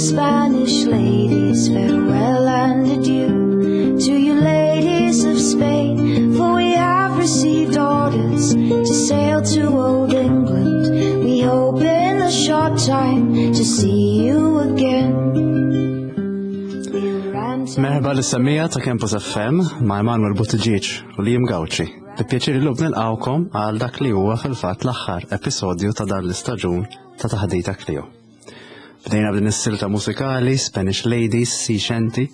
Spanish ladies, farewell and adieu. To you ladies of Spain, for we have received orders to sail to old England. We hope in a short time to see you again. Merħba lis-semmiegħa ta' Campus FM ma' Emanuel Buttigieg u Liam Gauci. Bi pjaċir illum nilqgħukom għal dak li huwa fil-fatt l-aħħar episodju ta' dan l-istaġun ta' Taħdita Clio. Bdejna b'din is-silta musikali Spanish Ladies Sixenti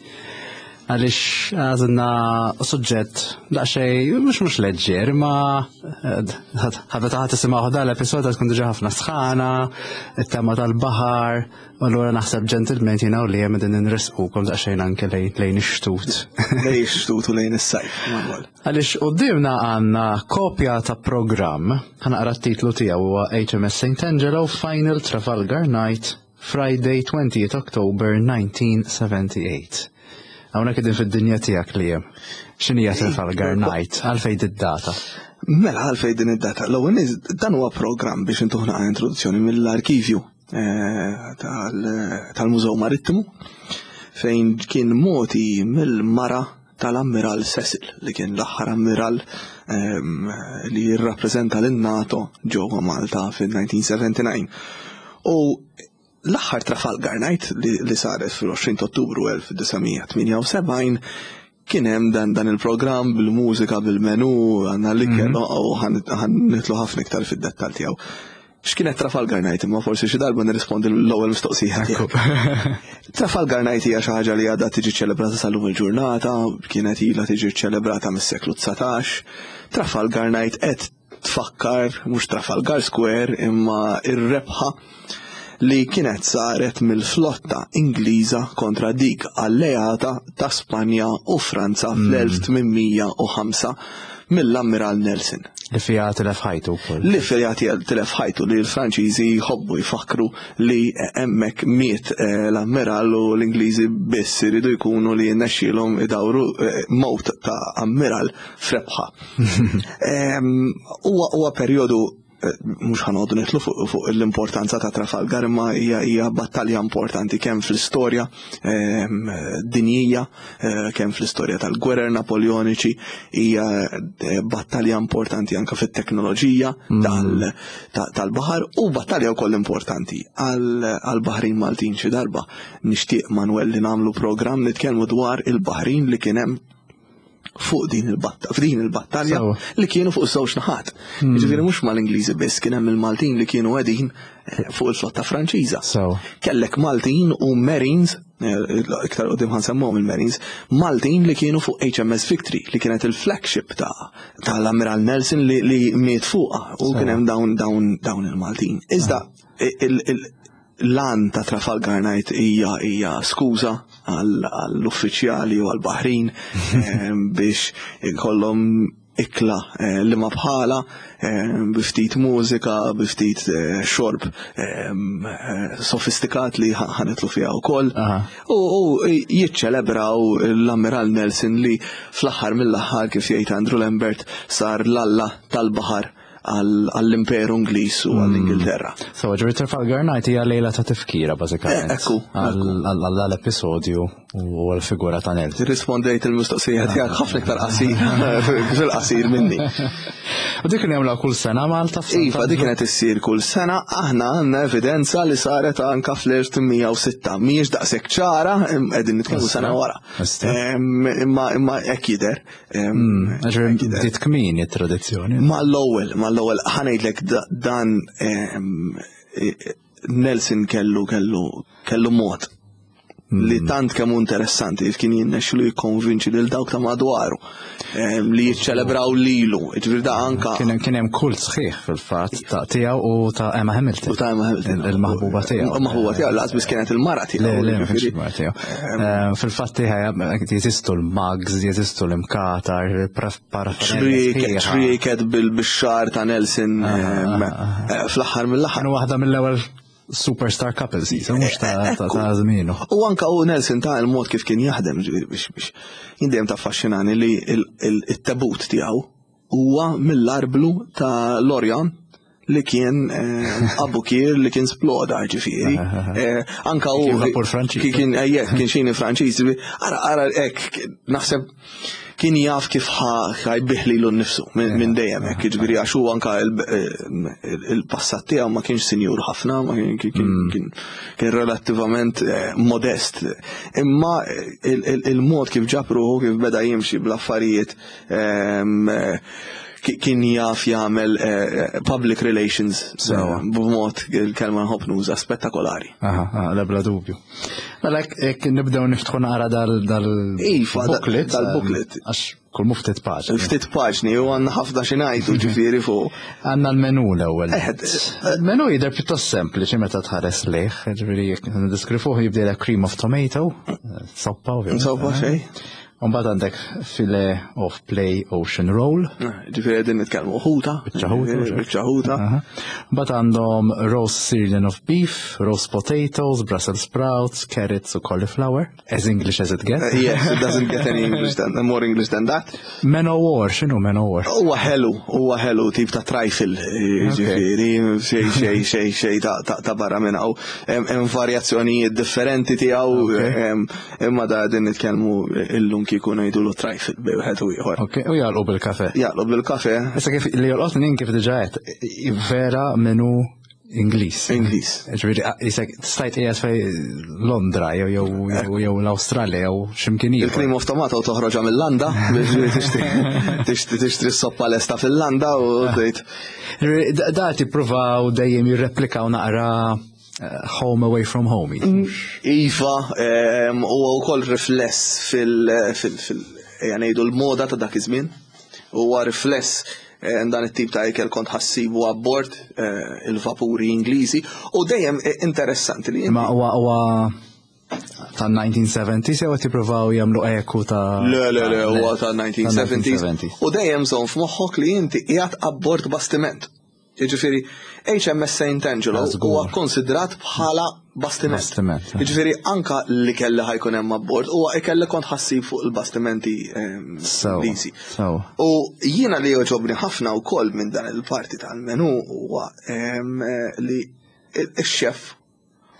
għaliex għażilna suġġett daqsxejn mhux mhux leġġer imma eh, ħabba taħt tisimgħu dan l-episodju tkun diġà ħafna sħana, it-tema tal-baħar, u allura naħseb ġentilment jiena u li hemm din inresqukom daqsxejn anke lejn ix-xtut. Lejn ix-xtut u lejn is-sajf, Manuel. Għaliex quddiemna għandna kopja ta' programm, ħa naqra t-titlu tiegħu huwa HMS St. Angelo Final Trafalgar Night, Friday 20th October 1978. Hawnhekk qegħdin fid-dinja tiegħek li hemm. X'inhija Trafalgar Night? Għalfejn id-data? Mela għalfejn din id-data. L-ewwel dan huwa programm biex intuħna introduzzjoni mill-arkivju eh, tal-Mużew Marittimu fejn kien moti mill-mara tal-Ammiral Cecil li kien l-aħħar ammiral ehm, li jirrappreżenta lin-NATO ġewwa Malta fil-1979. U l-aħħar Trafalgar Night li, li saret fil-20 Ottubru 1978 kien hemm dan, dan il-programm bil-mużika, bil-menu, għandna l-ikel mm -hmm. u ħan nitlu ħafna iktar fid-dettal tiegħu. X'kienet Trafalgar Night imma forsi xi darba nirrispondi l-ewwel mistoqsija tiegħek. Trafalgar Night hija xi ħaġa li għadha tiġi ċelebrata sal-lum il-ġurnata, kienet ilha tiġi ċelebrata mis-seklu 19. Trafalgar Night qed tfakkar mhux Trafalgar Square imma ir-rebħa li kienet saret mill-flotta Ingliża kontra dik alleata ta' Spanja u Franza fl-1805 mill-Ammiral Nelson. Li fiha tilef ħajtu wkoll. Li fiha tilef ħajtu li l-Franċiżi jħobbu jfakru li hemmhekk miet eh, l-ammiral u l-Ingliżi biss iridu jkunu li jinnexxielhom idawru eh, mowt ta' ammiral f'rebħa. Huwa perjodu eh, mhux ħanoqogħdu nidħlu fuq l-importanza ta' Trafalgar imma hija hija battalja importanti kemm fl-istorja ehm, dinjija, eh, kemm fl-istorja tal-gwerer Napoleoniċi, hija eh, battalja importanti anke fit-teknoloġija mm. tal-baħar u battalja wkoll importanti għall-Baħrin Maltin xi darba. Nixtieq Manuel li nagħmlu programm nitkellmu dwar il-Baħrin li kien hemm fuq din il-battalja, f'din il-battalja li kienu fuq żewġ naħat. Hmm. Ġifieri mhux mal-Ingliżi biss kien hemm il-Maltin li kienu qegħdin eh, fuq il-flotta Franċiża. Kellek Maltin u Marines, eh, iktar qudiem ħansemmuhom il-Marines, Maltin li kienu fuq HMS Victory li kienet il-flagship ta' tal-Ammiral Nelson li, li miet fuqha u kien hemm dawn dawn dawn il-Maltin. Iżda L-għan ta' Trafalgar Night hija hija skuża għall-uffiċjali u għall-baħrin eh, biex ikollhom ikla eh, li ma bħala eh, bi ftit mużika, bi ftit xorb sofistikat li ħanitlu fiha wkoll. U jiċċelebraw l-Ammiral Nelson li fl-aħħar mill-aħħar kif jgħid Andrew Lambert sar l-alla tal-baħar għall-Imperu Ingliż u għall-Ingilterra. So, ġifieri Trafalgar Night hija lejla ta' tifkira bażikament. Eh, ekku. Għall-episodju u għall-figura ta' Nelson. Rispondejt il-mistoqsija tiegħek ħafna iktar qasir fil-qasir minni. U dik kien jagħmluha kull sena Malta Iva, dik kienet issir kull sena, aħna għandna evidenza li saret anka fl-1806. Mhijiex daqshekk ċara, qegħdin nitkellmu sena wara. Imma imma hekk jidher. Hmm, bdiet kmieni t-tradizzjoni. Mal-ewwel, mal-ewwel ħanejdlek dan Nelson kellu kellu kellu mod li hmm. tant kemm interessanti kif kien jinnexxilu jikkonvinċi lil dawk ta' madwaru li jiċċelebraw lilu. Ġifieri da anka. Kien hemm kult sħiħ fil-fatt ta' tiegħu u ta' Emma Hamilton. U ta' Emma Hamilton. Il-maħbuba tiegħu. Il-maħbuba tiegħu laqas biss kienet il-mara tiegħu. Le, le, il-mara tiegħu. Eh, fil-fatt jeżistu l-mugs, jeżistu l-imkatar, Ċrieket bil-xar ta' Nelson ah, ah, ah, eh, fl-aħħar mill-aħħar. Waħda mill-ewwel superstar couples, mhux ta' żmienu. U anka u Nelson ta' il-mod kif kien jaħdem biex biex jindem ta' affaxxinani li il-tabut tiegħu huwa mill-arblu ta' Lorient. li kien eh, Abukir li kien sploda ġifieri. Eh, anka u Kien vapur Franċiż. Kien eh, kien xini Franċiż. Ara ara hekk naħseb kien jaf kif ħajbih lilu nnifsu minn dejjem hekk, jiġifieri għax hu anka il-passat tiegħu ma kienx sinjur ħafna, ma kien mm. kien relattivament modest. Imma il-mod kif ġab ruħu kif beda jimxi bl-affarijiet ehm, kien jaf jagħmel eh, public relations eh, b'mod il-kelma nħobb nuża spettakolari. Aha, la bla dubju. Mela jekk nibdew niftħu naqra dal dal iva, booklet dal-booklet. Ehm, għax kull mu ftit paġni. Ftit paġni u għandna ħafna xi ngħidu ġifieri fuq. Għandna l-menu l-ewwel. Eh, il-menu jidher pjuttost sempliċi meta tħares lejh, ġifieri jekk niddeskrivuh jibdejla cream of tomato, soppa ovvjament. Soppa xejn. Umbagħad għandek filet of play ocean roll. Eh, ġifieri qegħdin nitkellmu ħuta. Biċċa ħuta. Biċċa ħuta. Mbagħad għandhom roast sirloin of beef, roast potatoes, Brussels sprouts, carrots u cauliflower. As English as it gets. Eh, yes, it doesn't get any English than, more English than that. Men o war, x'inhu men o war? Huwa ħelu, huwa ħelu tip ta' trifle, eh, ġifieri, xej xej xej xej ta' barra minn hawn. Hemm varjazzjonijiet differenti tiegħu. Imma da din nitkellmu illum kieku ngħidulu trifle bej wieħed u ieħor. Ok, u jagħlqu bil-kafe. Jagħlqu bil-kafe. Issa kif li jolqotni kif diġà qed vera menu Ingliż. Ingliż. Ġifieri isek stajt qiegħed fej Londra jew jew jew l-Awstralja jew x'imkien ieħor. Il-cream of tomato toħroġha mill-landa biex tixtri tixtri s-soppa lesta fil-landa u tgħid. Da tippruvaw dejjem jirreplikaw naqra home away from home. Mm. Iva, huwa wkoll rifless fil ejja ngħidu l-moda ta' dak iż-żmien. Huwa rifless dan it-tip ta' ikel kont ħassibu abbord eh, il-vapuri Ingliżi u dejjem eh, interessanti li. Ma huwa huwa ta' 1970s jew qed jippruvaw jagħmlu eku ta' Le, le, le, huwa ta' 1970s. U dejjem żomm f'moħħok li inti qiegħed abbord bastiment. Jiġifieri HMS St. Angelo huwa konsidrat bħala bastiment. Bastiment. Eh. Jiġifieri anka li kelli ħajkun hemm abbord huwa ikelli kont ħassib fuq il-bastimenti ehm, Ingliżi. U jiena li joġobni ħafna wkoll minn dan il-parti tal-menu huwa ehm, li x-xef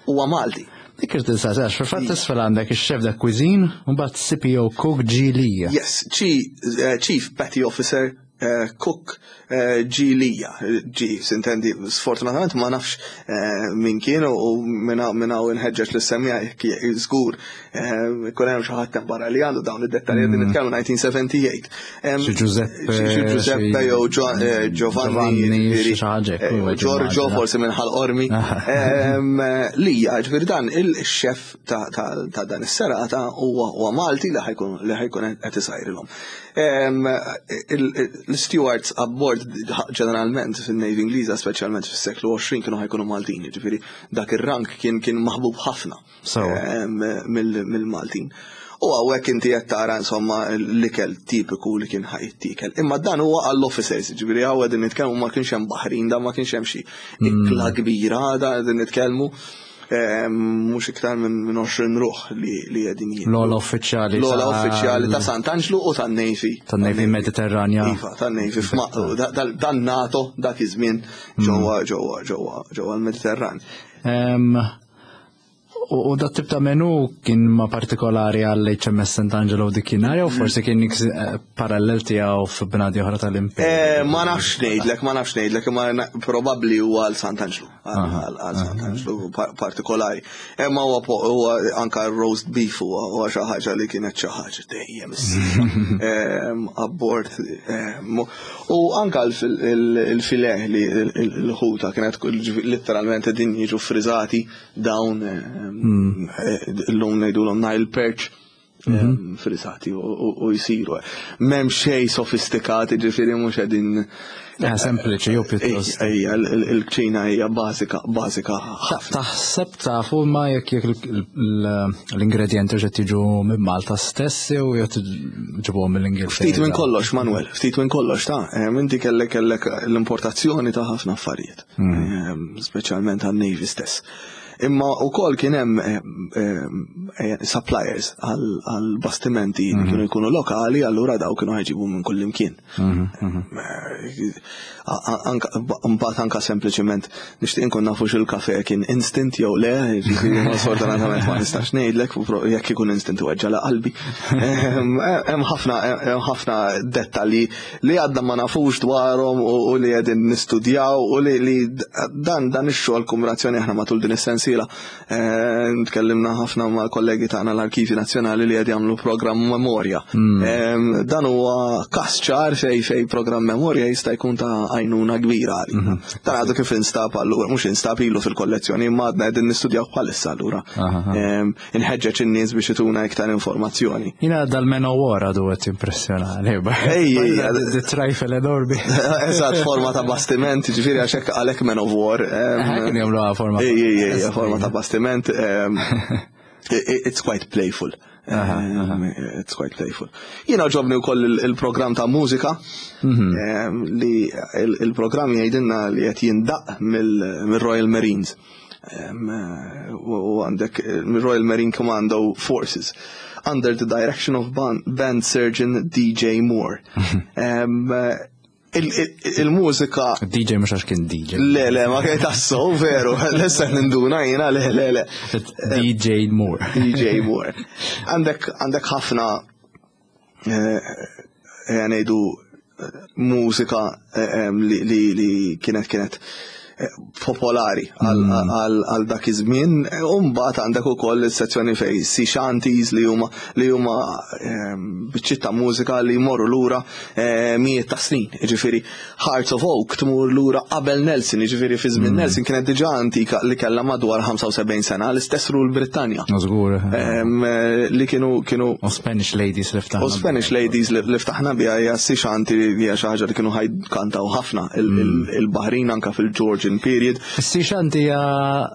huwa Malti. Dik irid tinsaqsi għax fil-fatt isfel għandek ix-chef de cuisine u mbagħad CPO Cook G. Lija. Yes, eh, Chief Petty Officer eh, Cook eh, G. Lija. G, sintendi, sfortunatament ma nafx min kien u minn hawn inħeġġeġ li semmija żgur Kun hemm xi ħadd barra li għandu dawn id-dettalji din nitkellmu 1978. Xi Giuseppe, xi Giuseppe jew eh, Giovanni, eh, Giorgio forsi minn ħal qormi. Lija, ġifieri dan il-xef ta' dan is-serata huwa Malti li ħajkun li ħajkun qed isajrilhom. L-stewards abbord ġeneralment fin-Navy Ingliża speċjalment fis-seklu 20 kienu ħajkunu Maltin, ġifieri dak ir-rank kien kien maħbub ħafna. Mill-Maltin. U hawnhekk inti qed tara insomma l-ikel tipiku li kien ħajttikel. Imma dan huwa għall-officers, ġifieri hawn qegħdin nitkellmu ma kienx hemm baħrin, dan ma kienx hemm xi ikla kbira, dan qegħdin nitkellmu mhux iktar minn 20 ruħ li qegħdin jien. L-ola uffiċjali. L-ola uffiċjali ta' Sant'Anġlu u tan-Navy. Tan-Navy Mediterranja. Iva, tan-Navy dan NATO dak iż-żmien ġewwa ġewwa ġewwa ġewwa l-Mediterran. U dat tip ta' menu kien ma partikolari għall HMS St. Angelo dikinhar jew forsi kien eh, parallel tiegħu f'bnadi oħra tal-Imperu. Eh, ma nafx ngħidlek, ma nafx ngħidlek, imma probabbli huwa għal Sant Angelo, għal Sant Angelo partikolari. Imma huwa anka roast beef huwa xi ħaġa li kienet xi ħaġa dejjem ehm, abbord. Ehm, u anka il-fileh li l-ħuta kienet letteralment din jiġu friżati dawn hmm. eh, l-lum ngħidulhom Nile Perch mhm. eh, frisati u jisiru. M'hemm xejn sofistikat, ġifieri mhux qegħdin eh, sempliċi jew pjuttost. Ejja, il-kċina hija bażika, bażika ħafna. Taħseb tafu ma jekk jekk l-ingredienti qed jiġu minn Malta stess jew jew ġibuhom mill-Ingilterra. Ftit minn kollox, Manuel, ftit minn kollox ta' inti kellek kellek l-importazzjoni ta' ħafna affarijiet. Mm. Ehm, speċjalment għan-Navy stess. Imma wkoll kien hemm eh, eh, suppliers għal bastimenti li mhm. kienu jkunu lokali, allura daw kienu ħajġibu minn kull imkien. Mhm, mhm. Mbagħad anka sempliċement nixtieq inkun nafu x'il-kafe kien instant jew le, jiġifieri ma sfortunatament ma nistax ngħidlek jekk ikun instant weġġa' la qalbi. Hemm ħafna hemm ħafna dettalji li għadna ma nafux dwarhom u li qegħdin nistudjaw u li dan dan ix-xogħol kumrazzjoni aħna matul din is-sensiela eh, tkellimna ħafna mal-kollegi tagħna l-Arkivji Nazzjonali li qed jagħmlu programm memorja. Hmm. Eh, dan huwa każ ċar fej fej programm memorja jista' jkun ta' għajnuna kbira għalina. Hmm. Dan għadu kif instab allura, mhux instab ilu fil-kollezzjoni imma għadna qegħdin nistudjaw bħalissa allura. Eh, inħeġġeġ in-nies biex ituna iktar informazzjoni. Jina dal-Men of War għadu għet impressjonali. Ej, trifle enormi. Eżatt, forma ta' bastiment, ġifiri għaxek għalek Men of War. Kien jagħmlu forma. Ej, ej, ej, forma ta' bastiment. It's quite playful. It's quite playful. Jina ġobni wkoll il-programm ta' mużika mhm. li il-programm jgħidilna li qed jindaq mill-Royal Marines. U għandek eh, Royal Marine Commando Forces under the direction of band surgeon DJ Moore. Il-mużika. DJ mhux għax kien DJ. Le, le, ma kien tassu, veru, l-issa ninduna jiena, le, le, le. DJ Moore. DJ Moore. Għandek ħafna eh, eh, ngħidu mużika eh, li kienet kienet popolari mm. għal dak iż-żmien. U mbagħad għandek ukoll is-sezzjoni fej sea shanties li huma li huma biċċiet ta' mużika li jmorru lura mijiet ta' snin. Jiġifieri Hearts of Oak tmur lura qabel Nelson, jiġifieri fi żmien mm. Nelson kienet diġà antika li kellha madwar 75 sena, l-istess rul Brittanja. Żgur. Eh, li kienu kienu. U Spanish Ladies li ftaħna. U Spanish Ladies li ftaħna biha hija si xanti li hija xi ħaġa li kienu ħajkantaw ħafna mm. il-Baħrin anka fil-Georgian period. Si xanti hija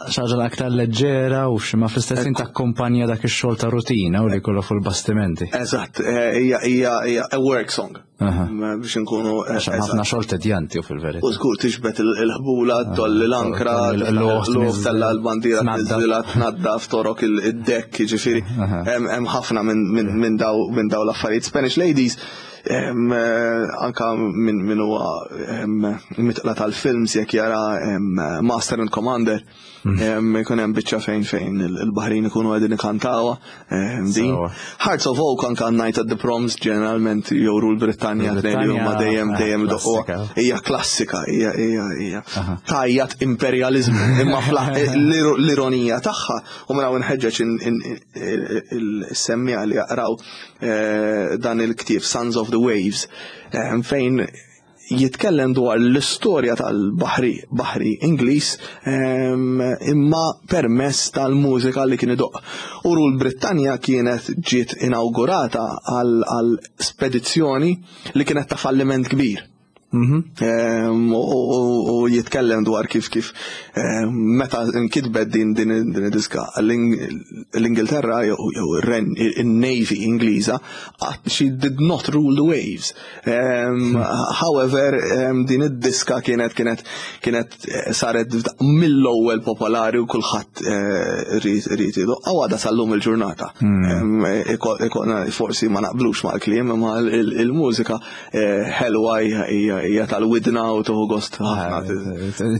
xi ħaġa aktar leġġera u xi ma fl-istess ħin takkumpanja dak ix-xogħol ta' rutina u li jkollu fuq il-bastimenti. Eżatt, eh, hija hija a work song. Biex nkunu. Eh, ħafna xogħol tedjanti u fil-verità. U żgur tiġbed il-ħbula, tolli l-ankra, l-luħ tella l-bandiera, tniżżilha, tnaddaf, torok id-dekk, jiġifieri. Hemm ħafna minn daw l-affarijiet. Spanish Ladies, eh, anka minn huwa mitqla tal-films jekk jara Master and Commander. Ikun hemm biċċa fejn fejn il-Baħrin ikunu qegħdin ikantawha din. Hearts of Oak anka Night at the Proms ġeneralment jowru l-Brittanja tnejn li huma dejjem eh, dejjem doqquha. Hija klassika, hija hija hija tajjat imperjaliżmu imma l-ironija tagħha u minn hawn inħeġġeġ il-semmiegħa li jaqraw eh, dan il-ktieb Sons of the Waves fejn jitkellem dwar l-istorja tal-baħri, baħri Ingliż, ehm, imma permess tal-mużika li kien idoqq. U Rule Brittanja kienet ġiet inawgurata għal spedizzjoni li kienet ta' falliment kbir. Mhm. Ehm, u jitkellem dwar kif kif ehm, meta nkitbet din din id-diska l-Ingilterra jew il-Navy Ingliża she did not rule the waves. However, din id-diska kienet kienet kienet eh, saret mill-ewwel popolari u kulħadd eh, rrid idoqqa għadha sal-lum il-ġurnata. Hmm. Forsi ma naqblux mal-kliem imma il-mużika eh, ħelwa hija tal-widna u tuħu gost ħafna.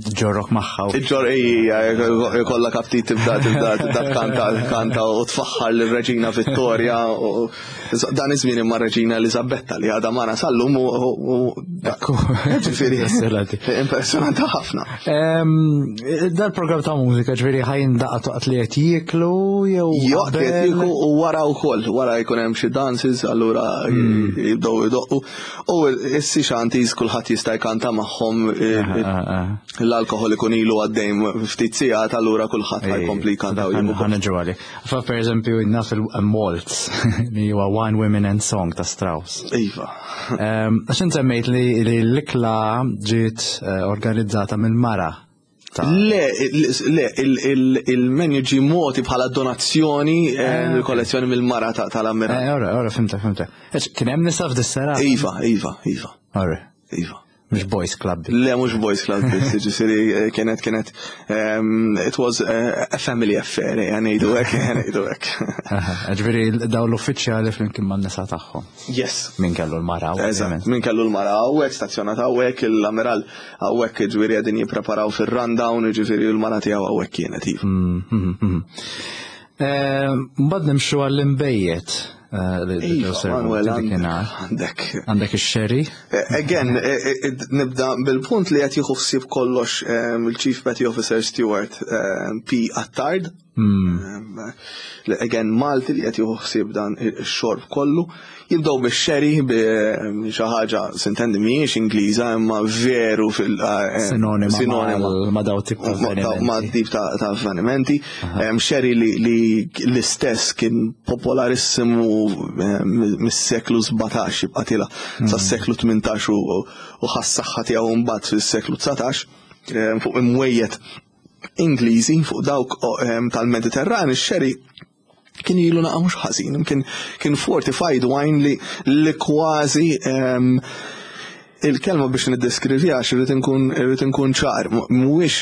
Ġorrok magħha. Ġor hija kollha kaptit tibda tibda tibda tkanta kanta u tfaħħar lir-Reġina Vittoria Dan iż-żmien imma Reġina Eliżabetta li għadha magħna sal-lum u ġifieri impressjonanti ħafna. Dal-programm ta' mużika ġifieri ħajn daqqa toqgħod li qed jieklu jew joqgħod qed jieklu u wara wkoll, wara jkun hemm xi dances allura hmm. jibdew idoqqu. U s-si xantis kulħadd jista' jkanta magħhom l-alkoħol ikun ilu għaddej ftit sigħat allura kulħadd ħajkompli jkanta u jieħu. Ħaneġu għalik. Fa per eżempju naf il-Waltz li huwa Wine Women and Song ta' Strauss. Iva. Ehm, għax semmejt li l-ikla ġiet eh, organizzata mill-mara. Le, le, il-menu ġi moti bħala donazzjoni eh, eh, mill-kollezzjoni mill-mara tal-Ammiral. Ora, ora, fimta, fimta. Kien hemm nisa f'dis-sera? Iva, iva, iva. Ora. Iva. Mhux boys club. Le, mhux boys club, ġifieri kienet kienet it was a family affair, ngħidu hekk, ngħidu hekk. Ġifieri dawn l-uffiċjali flimkien man-nisa tagħhom. Yes. Min kellu l-mara. Eżatt, min kellu l-mara hawnhekk, stazzjonat hawnhekk, l-amiral hawnhekk ġifieri qegħdin jippreparaw fir-rundown, ġifieri l-mara tiegħu hawnhekk kienet. Iva. Mbagħad nimxu għall-imbejjed. Iva, Manuel, għandek. Għandek ix-sherry? Again, nibda bil-punt li qed jieħu ħsieb kollox il-Chief Petty Officer Stewart P. Attard. Again, Malti li qed jieħu ħsieb dan ix-xorb kollu. Jibdew bix-sherry bi xi ħaġa sintendi mhijiex Ingliża imma veru fil sinonima ma' daw tip ta' avvenimenti. Ma' tip ta' avvenimenti. Sherry li l-istess kien popolarissimu mis-seklu 17 jibqa' tila sas-seklu 18 u ħas-saħħa tiegħu mbagħad fis-seklu 19 fuq imwejjed Ingliżi fuq dawk tal-Mediterran ix-sherry kien ilu naqa' mhux ħażin, kien kien fortified wine li li kważi il-kelma biex niddeskriviha għax irrid inkun irrid inkun ċar, mhuwiex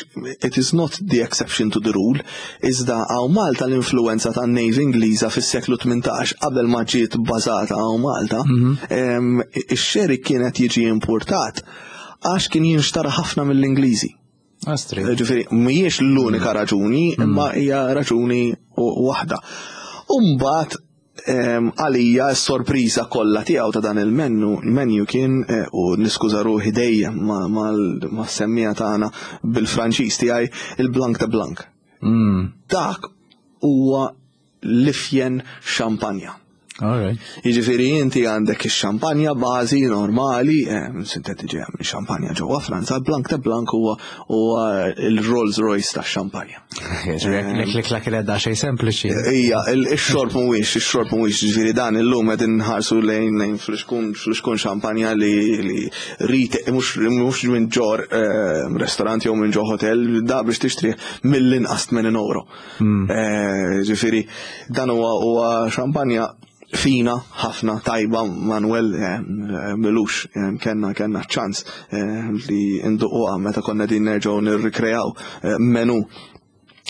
it is not the exception to the rule, iżda hawn Malta l-influenza tan-Navy Ingliża fis-seklu 18 qabel ma ġiet bbażata hawn Malta, ix-sherry kienet jiġi importat għax kien jinxtara ħafna mill-Ingliżi. Astri. Ġifieri, mhijiex l-unika raġuni, imma hija raġuni waħda. Umbagħad għalija s-sorpriża kollha tiegħu ta' dan il-menu menu kien u niskuża ruħi dejjem ma' semmija tagħna bil-Franċiż tiegħi il-Blanc de Blanc. Dak huwa l-ifjen xampanja. Jiġifieri inti għandek ix-xampanja bażi normali, sinteti ġejja minn xampanja ġewwa Franza, Blanc de Blanc huwa il-Rolls Royce tax-xampanja. L-ikla kienet xejn sempliċi. Ija, ix-xorb mhuwiex, ix-xorb mhuwiex, jiġifieri dan illum qegħdin nħarsu lejn lejn fl-xkun fl-xkun xampanja li li rite mhux minn ġor restorant jew minn ġo hotel, da biex tixtri mill-inqas 80 euro. Ġifieri dan huwa huwa xampanja fina ħafna tajba Manuel milux kellna kellna ċans li nduquha meta konna din nerġgħu nirrikreaw menu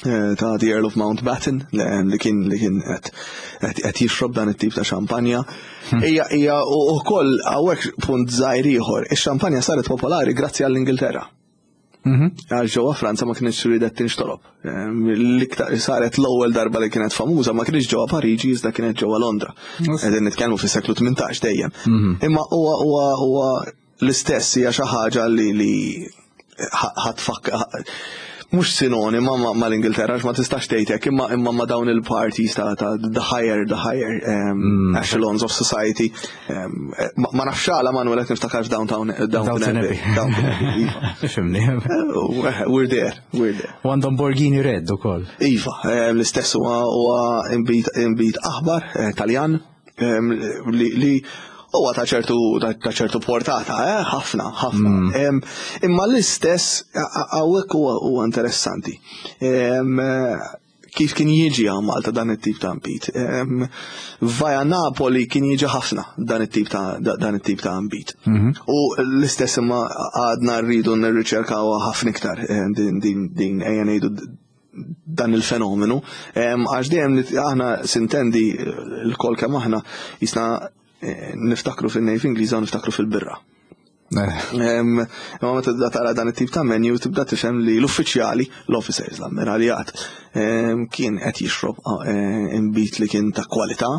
ta' The Earl of Mountbatten li kien li kien qed jixrob dan it-tip ta' xampanja. Hija hija wkoll hawnhekk punt żgħir ieħor, ix-xampanja saret popolari grazzi għall-Ingilterra. Għax ġewwa Franza ma kienx ridet tinxtorob. L-iktar saret l-ewwel darba li kienet famuża ma kienx ġewwa Pariġi iżda kienet ġewwa Londra. Qegħdin nitkellmu fis-seklu 18 dejjem. Imma huwa huwa huwa l-istess hija xi ħaġa li li ħatfak mhux sinonima mal-Ingilterra għax ma tistax tgħid hekk imma imma ma dawn il-parties ta' the higher the higher echelons of society. Ma nafx għala Manuel qed niftakar f'Downtown Downton Abbey. Fimni. We're there, we're there. U għandhom Borghini Red ukoll. Iva, l-istess huwa inbid aħbar Taljan li huwa ta' ċertu ta' ċertu portata, ħafna, ħafna. Imma l-istess hawnhekk huwa interessanti. Kif kien jiġi għal Malta dan it-tip ta' nbid. Via Napoli kien jiġi ħafna dan it-tip ta' dan it-tip ta' nbid. U l-istess imma għadna rridu nirriċerkaw ħafna iktar din din din ejja ngħidu dan il-fenomenu. Għax dejjem aħna sintendi l-kol kemm aħna jisna niftakru fin-Navy Ingliża u niftakru fil-birra. Imma meta tibda tara dan it-tip ta' menu tibda tifhem li l-uffiċjali, l-officers, l-ammiraljat, kien qed jixrob inbid li kien ta' kwalità.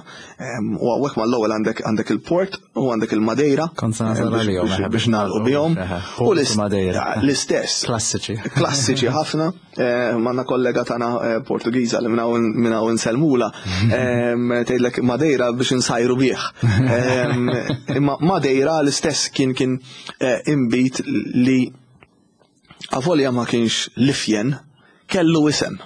U hawnhekk mal-ewwel għandek għandek il-port u għandek il-Madeira. Kont se nasal għalihom, biex nagħlqu bihom. U Madeira. L-istess. Klassiċi. Klassiċi ħafna. Manna kollega tagħna Portugiża li minn hawn insellmula, tgħidlek Madeira biex insajru bih. Imma Madeira l-istess kien kien inbid li avolja ma kienx l-ifjen, kellu isem.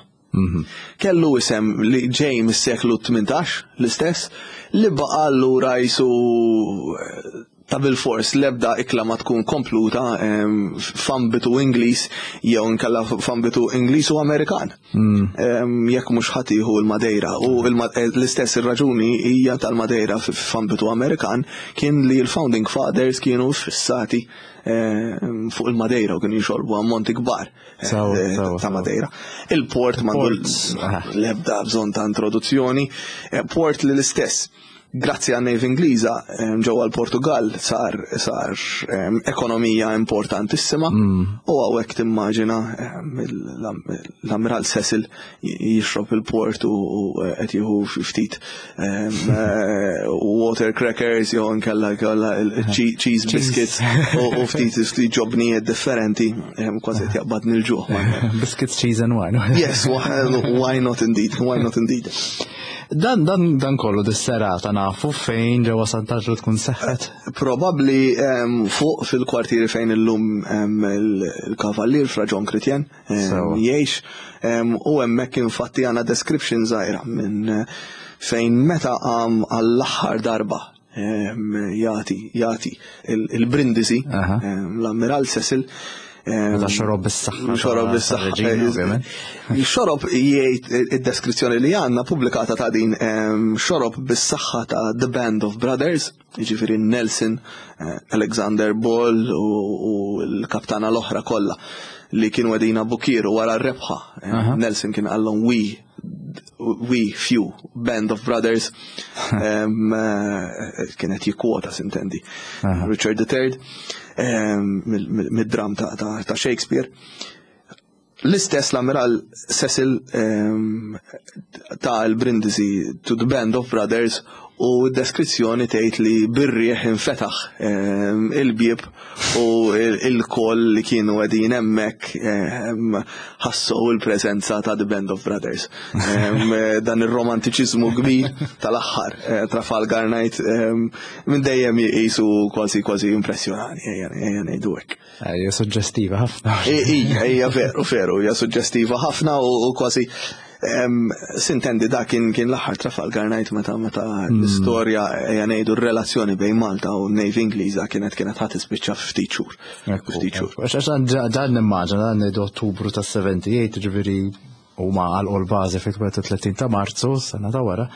Kellu isem li ġej mis-seklu 18 l-istess li baqa' allura jisu. Ta' bilfors l-ebda ikla ma tkun kompluta f'ambitu Ingliż jew inkella f'ambitu Ingliż u Amerikan. Jekk mhux ħa tieħu l-Madeira. U l-istess ir-raġuni hija tal-Madeira f'ambitu Amerikan kien li l-Founding Fathers kienu fissati fuq il-Madeira u kienu jixorbu ammonti kbar ta' Madeira. Il-port m'għandu l-ebda bżonn ta' introduzzjoni. Port li l-istess Grazzi għan Navy Ingliża ġewwa l-Portugal sar sar ekonomija importantissima u hawnhekk timmaġina l-Ammiral Cecil jixrob il-port u qed jieħu ftit water crackers jew inkella jkollha cheese biscuits u ftit ftit ġobnijiet differenti kważi qed jaqbadni l-ġuħ. Biscuits, cheese and wine. Yes, why not indeed, why not indeed. Dan, dan, dan kollu dis-serata nafu fejn ġewwa Sant'Anġlu tkun seħħet? Probabbli fuq fil-kwartieri fejn illum il-Kavallier Fra John Chrétien jgħix u hemmhekk infatti għandna description żgħira minn fejn meta qam għall-aħħar darba jagħti jagħti il-brindisi l-Ammiral Cecil. Meta xorob bis-saħħa. Xorob bis-saħħa. Xorob jgħid id-deskrizzjoni li għandna pubblikata ta' din xorob bis-saħħa ta' The Band of Brothers, jiġifieri Nelson, eh, Alexander Ball u l-kaptana l-oħra kollha li kienu għedina Bukiru wara r-rebħa. Nelson kien qallhom we we few band of brothers eh, kienet jikkwota sintendi Richard III mid-dram ta' Shakespeare. L-istess l-Ammiral Cecil ta' l-Brindisi to the Band of Brothers u d-deskrizzjoni tgħid li bir-riħ infetaħ il-bieb u il-koll li kienu qegħdin hemmhekk ħassew il-preżenza ta' The Band of Brothers. Dan ir-romantiċiżmu kbir tal-aħħar eh, Trafalgar Night minn dejjem jisu kważi kważi impressjonani, ejja ngħidu hekk. Hija suġġestiva ħafna. Ija, hija veru, veru, hija suġġestiva ħafna u kważi Sintendi da kien kien l-aħħar Trafalgar Night meta meta l-istorja ejja ngħidu r-relazzjoni bejn Malta u n-Navy Ingliża kienet kienet ħadd tispiċċa ftit xhur. Ftit xhur. Għax dan nimmaġina dan ngħidu Ottubru tas-78 ġifieri huma għalqu l-bażi fit-31 ta' Marzu sena ta' wara.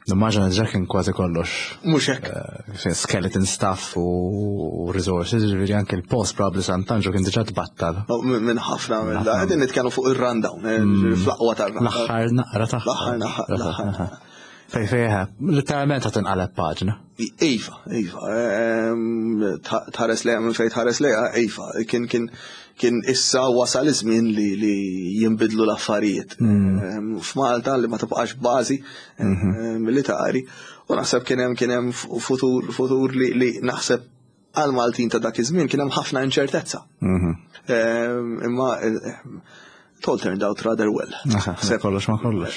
Nimmaġina diġà kien kważi kollox. Mhux hekk. Eh, skeleton staff u resources, ġifieri anke l-post probabbli Sant'Anġlu kien diġà tbattal. Oh, minn ħafna minn da, qegħdin nitkellmu fuq ir-rundown, eh, mm. fl-aqwa tar-rundown. L-aħħar naqra tagħha. L-aħħar naqra. L-aħħar. Fej fej, eh, literalment qed inqaleb paġna. Iva, iva, ehm, tħares lejha minn fejn tħares lejha, iva, kien kien kien issa wasal iż-żmien li, li jinbidlu l-affarijiet. Mm. Ehm, f'Malta li ma tibqax bażi ehm, mhm. militari u naħseb kien hemm kien hemm futur futur li, li naħseb għal Maltin ta' dak iż-żmien kien hemm ħafna inċertezza. Mhm. Ehm, imma it all turned out rather well. Kollox ma kollox.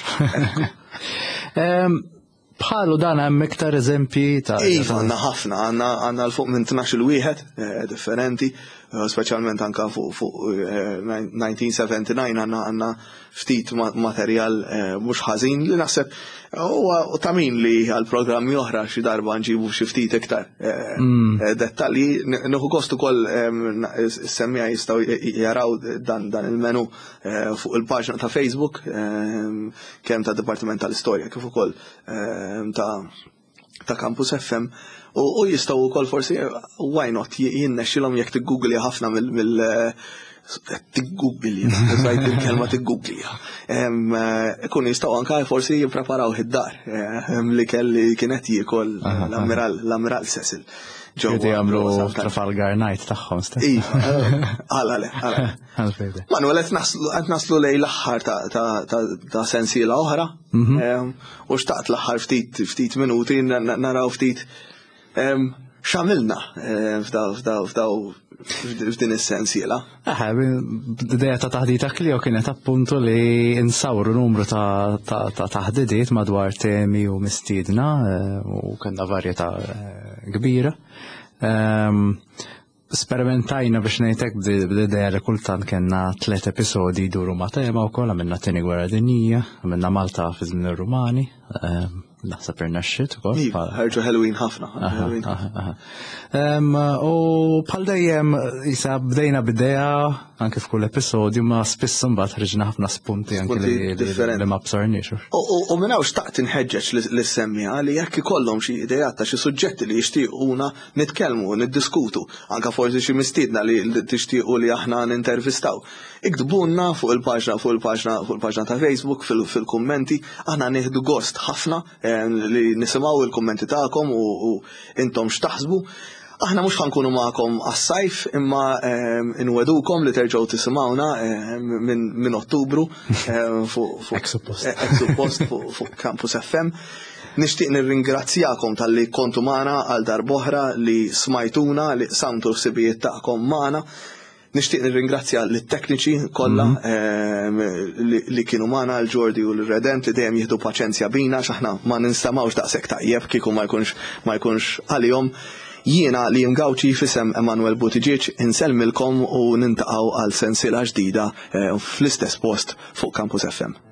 Bħalu dan hemm iktar eżempji ta' Iva, għandna ħafna, għandna għandna l fuq minn 12 wieħed eh, differenti, eh, speċjalment anka fuq fuq 1979 eh, għandna għandna ftit materjal mhux ħażin li naħseb huwa ta' min li għal programmi oħra xi darba nġibu xi ftit iktar mm. dettalji. Nieħu gost ukoll semmija jistgħu jaraw dan dan il-menu fuq il-paġna ta' Facebook kemm ta' Dipartiment tal-Istorja kif ukoll ehm, ta' ta' Campus FM u jistgħu wkoll forsi why not jinnexxilhom jekk tiggooglja ħafna mill tiggooglja, użajt il-kelma tiggooglja. Ehm, ikun jistgħu anke forsi jippreparaw id-dar ehm, li kelli kienet jiekol l-Ammiral Cecil. Ġew jagħmlu Trafalgar Night tagħhom stess. Iva, għala le, għala. Manuel, qed naslu lej l-aħħar ta' sensiela oħra. Mhm. Ehm, u xtaqt l-aħħar ftit ftit minuti naraw ftit ehm, x'għamilna ehm, f'daw f'din is-sensiela. Eħe, l-idea ta' taħdita Klio kienet appuntu li insawru numru ta' taħdidiet madwar temi u mistiedna eh, u kellna varjetà eh, kbira. Sperimentajna biex ngħidlek bl-idea li kultant kellna tliet episodji jduru ma' tema wkoll għamilna tieni gwerra dinjija, għamilna Malta fi żmien ir-Rumani. Ehm, Naħseb irnexxiet ukoll. Iva, ħarġu ħelwin ħafna. U bħal dejjem jisa bdejna bidea anke f'kull episodju ma spiss imbagħad ħriġna ħafna spunti anke li ma bsarniex. U minn hawn xtaqt inħeġġeġ lis-semmiegħa li jekk ikollhom xi ideat ta' xi suġġetti li jixtiequna nitkellmu, niddiskutu, anke forsi xi mistiedna li tixtiequ li aħna nintervistaw. Iktbulna fuq il-paġna fuq il-paġna fuq il-paġna ta' Facebook fil-kummenti, aħna nieħdu gost ħafna eh, li nisimgħu il-kummenti tagħkom u intom x'taħsbu. Aħna mhux ħankunu magħkom għas-sajf imma eh, inwedukom li terġgħu tisimgħuna eh, minn Ottubru fuq suppost fuq Campus FM. Nixtieq nirringrazzjakom talli kontu magħna għal darb'oħra li smajtuna li qsamtu l-ħsibijiet tagħkom magħna. Nixtieq nirringrazzja lit-tekniċi kollha mhm. ehm, li kienu magħna l-Ġordi u l-Redent li dejjem jieħdu paċenzja bina x'aħna ma ninstamawx daqshekk tajjeb kieku ma jkunx ma jkunx għalihom. Jiena li Gawċi fisem Emanuel Buttigieg insellmilkom u nintaqgħu għal sensiela ġdida eh, fl-istess post fuq Campus FM.